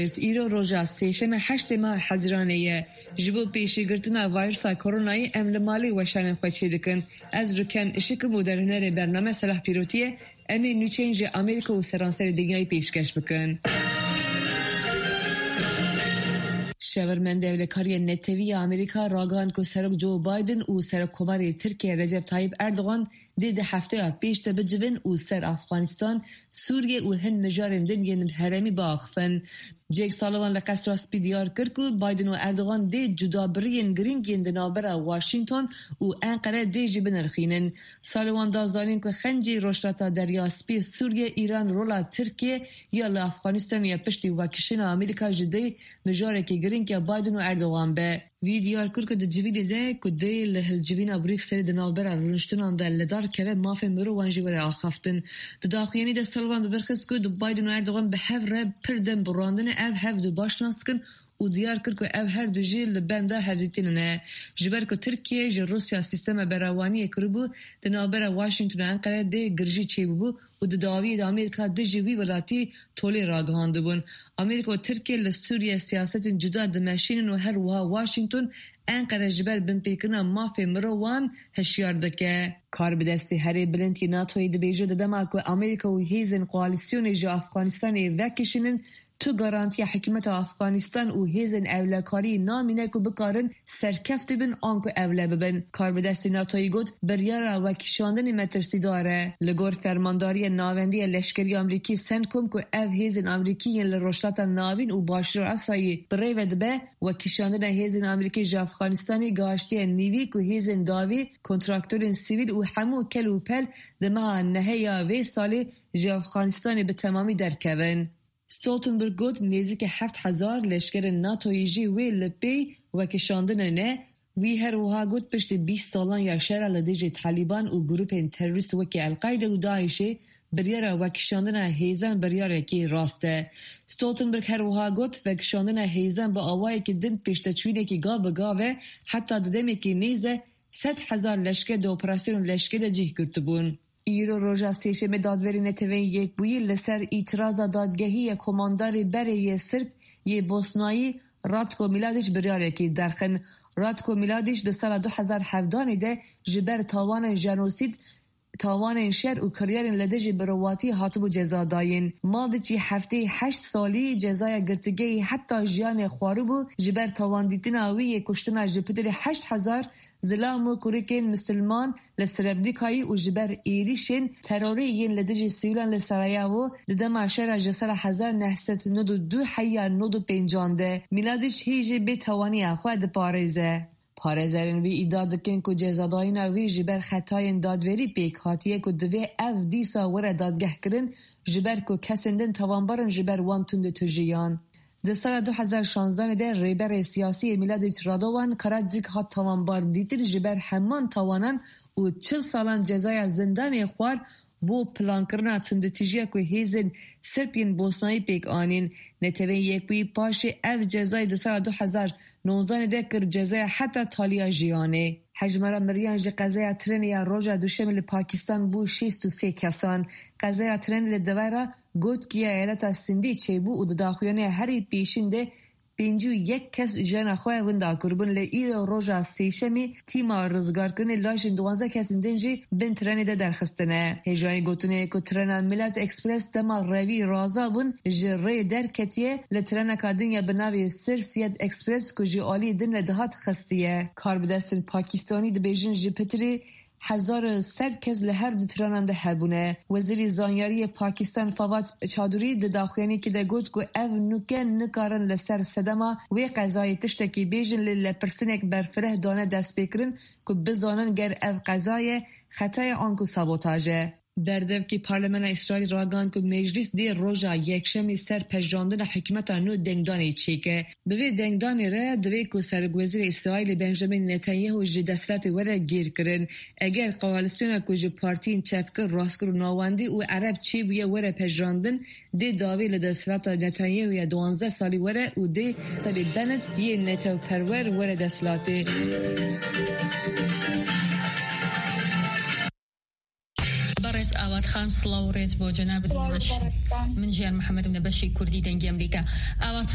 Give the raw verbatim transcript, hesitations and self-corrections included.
Îro roja sêşemê heştê meha Hezîranê ye. Ji bo pêşîgirtina vayrusa koronayê em li malê weşanên xwe çêdikin. Ez Rûken Işik im û derhênerê bername Selah Pîrotî ye. Em ê nûçeyên ji Amerîka û seranserê dinyayê pêşkeş bikin. Şevirmend ewlekariyên netewî ya Amerîka ragihand ku Serok Joe Biden û Serokkomarê Tirkiye Recep Tayyip Erdogan dê di hefteya pêş de bicivin û ser Afxanistan, Sûriye û hin mijarên din yên herêmî biaxifin. Jake Sullivan li Qesra Spî diyar kir ku Biden û Erdogan dê cudabiriyên girîng yên di navbera Washington û Enqere dê jî binirxînin. Sullivan da zanîn ku xencî Rojhilata Derya Spî, Sûriye, Îran, rola Tirkiye ya li Afxanistanê ya piştî vekişîna Amerîka jî dê mijarekî girîng ya Biden û Erdogan be. Wî diyar kir ku di civînê de ku dê li hilcivîna Brukselê di navbera rûniştinan de li dar keve, mafên mirovan jî were axaftin. Di daxuyanî de Sullivan bi vir xist ku di Biden û Erdogan bi hev re pir dem bi randine, ev hev du baş nas dikin û diyar kir ku ev her du jî li benda hevdîtinê ne. Ji ber ku Tirkiye ji Rûsya sîstema berewaniyê kiribû, di navbera Washington û Enqere dê girjî çêbûbû û di dawiyê de Amerîka dijî wî welatî tolê ragihandibûn. Amerîka û Tirkiye li Sûriye siyasetên cuda dimeşînin û her wiha Washington Enqere ji ber binpêkirina mafê mirovan hişyar dike. Karbidestê herê bilind yê NATOyê dibêje, di dema ku Amerîka û hêzên koalîsyonê ji Afxanistanê vekişînin, tu garantiya hikûmeta Afxanistan û hêzên ewlekariyê namîne ku bikarin serkefte bin anku ewle bibin. Karbidestê NATOyê got, biryara wekişandinê metirsîdar e. Li gor Fermandariya Navendî ya Leşkerî Amerîkî, CENTCOM, ku ev hêzên Amerîkî yên li Rojhilata Navîn û Başûra Asyayê bi rê ve dibe, wekişandina hêzên Amerîkî ji Afxanistanê gihaştiye nîvî ku hêzên dawî, kontraktorên sivîl û hemû kel û pel di meha nehê ya vê salê ji Afxanistanê bi temamî derkevin. Stoltenberg got, nêzîkî heft hezar leşkerên NATOyê jî wê li pêy wekişandinê ne. Wî her wiha got, piştî bîst salan ya şera li dijî Talîban û grûpên terorîst wekî El-Qaîde û DAIŞê, biryara wekişandina hêzan biryarekî rast e. Stoltenberg her wiha got, vekişandina hêzan bi awayekî din pêşteçûyînekî gav bi gav e, heta di demekî nêz e sed hezar leşker di operasyonên leşkerî de cih girtibûn. Îro roja sêşemê dadwerê Netewên Yekbûyî li ser îtiraza dadgehî ya komandarê berê yê Sirb yê Bosnayî Ratko Mladiç biryarekî derxin. Ratko Mladiç di sala du hezar hevdanê de ji ber tawanên jenosîd, tawanên şer û kiryarên li dijî mirovatî hatibû cezadayîn. Mladiç yê heftê heşt salî cezaya girtîgehî heta jiyanê xwaribû, ji ber tawandîtina wî yê kuştina ji pitirê heşt hezar zilam û kurikên misilman li Srebrenikayê û ji ber êrîşên terorî yên li dijî sivîlan li Sarayevo di dema şera ji sala hezar neh sed nod û du heya nod û pêncan de. Mîladiç hî jî bêtewaniya xwe diparêze. Parêzerên wî îdia dikin ku cezadayîna wî ji ber xetayên dadwerî pêk hatiye ku divê ev dîsa were dadgehkirin, ji ber ku kesên din tawanbar in ji ber wan tundûtûjiyan. Di sala du hezar şanzanê de rêberê siyasî yê Miladiç Radovan Karadzic hat tawanbar dîtin ji ber heman tawanan û çil salan cezaya zindanê xwar bo plankirina tundûtîjiya ku hêzên Sirb yên Bosnayî pêk anîn. Netewên Yekbûyî paşê ev cezayê di sala du hezar nozdanê de kir cezaya heta taliya jiyanê. Hejmara miriyan ji qezaya trenê ya roja Duşemê li Pakistan bû şêst û sê kesan. Qezaya trenê li devera Gotkiya eyaleta Sindî çêbû û di daxuyanê herî pêşîn de pêncî û yek kes jiyana xwe winda kiribûn. Li îro roja sêşemî tîma rizgarkirinê laşên duwazdeh kesên din jî bin trenê de derxistine. Hêjayî gotinê ye ku trena Milat Express dema revî raza bûn ji rê derketiye, li treneka din ya bi navê Sir Siyed Express ku ji aliyê din ve dihat xistiye. Karbidestên Pakistanî dibêjin ji pitirê hezar û sed kes li her du trenan de hebûne. Wezîrê Zanyariyê Pakistan Fawad Chaudhry di daxuyaniyekê de got ku ev nûke nikarin li ser sedema wê qezayê tiştekî bêjin, lê lepirsinek berfireh dane destpêkirin ku bizanin ger ev qeza ye, xeta ye anku sabotaj e. Berdevkê Parlemena Îsraîlî ragihand ku Meclîs dê roja Yekşemê ser pejirandina hikûmeta nû dengdanê çêke. Bi vê dengdanê re divê ku Serokwezîrê Îsraîlê Benjamin Netanyahu ji desthilatê were gêrkirin. Eger koalîsyona ku ji partiyên çepgir, rastgir û navendî û ereb çêbûye were pejirandin, dê dawî li desthilata Netanyahu ya duwazdeh salî were û dê Naftali Bennett yê netewperwer were desthilatê. بەڕێز ئاوات سڵاو و ڕێز بۆ جەنابت. من ژیار محەممەدم لە بەشی کوردی دەنگی ئەمریکا. ئاوات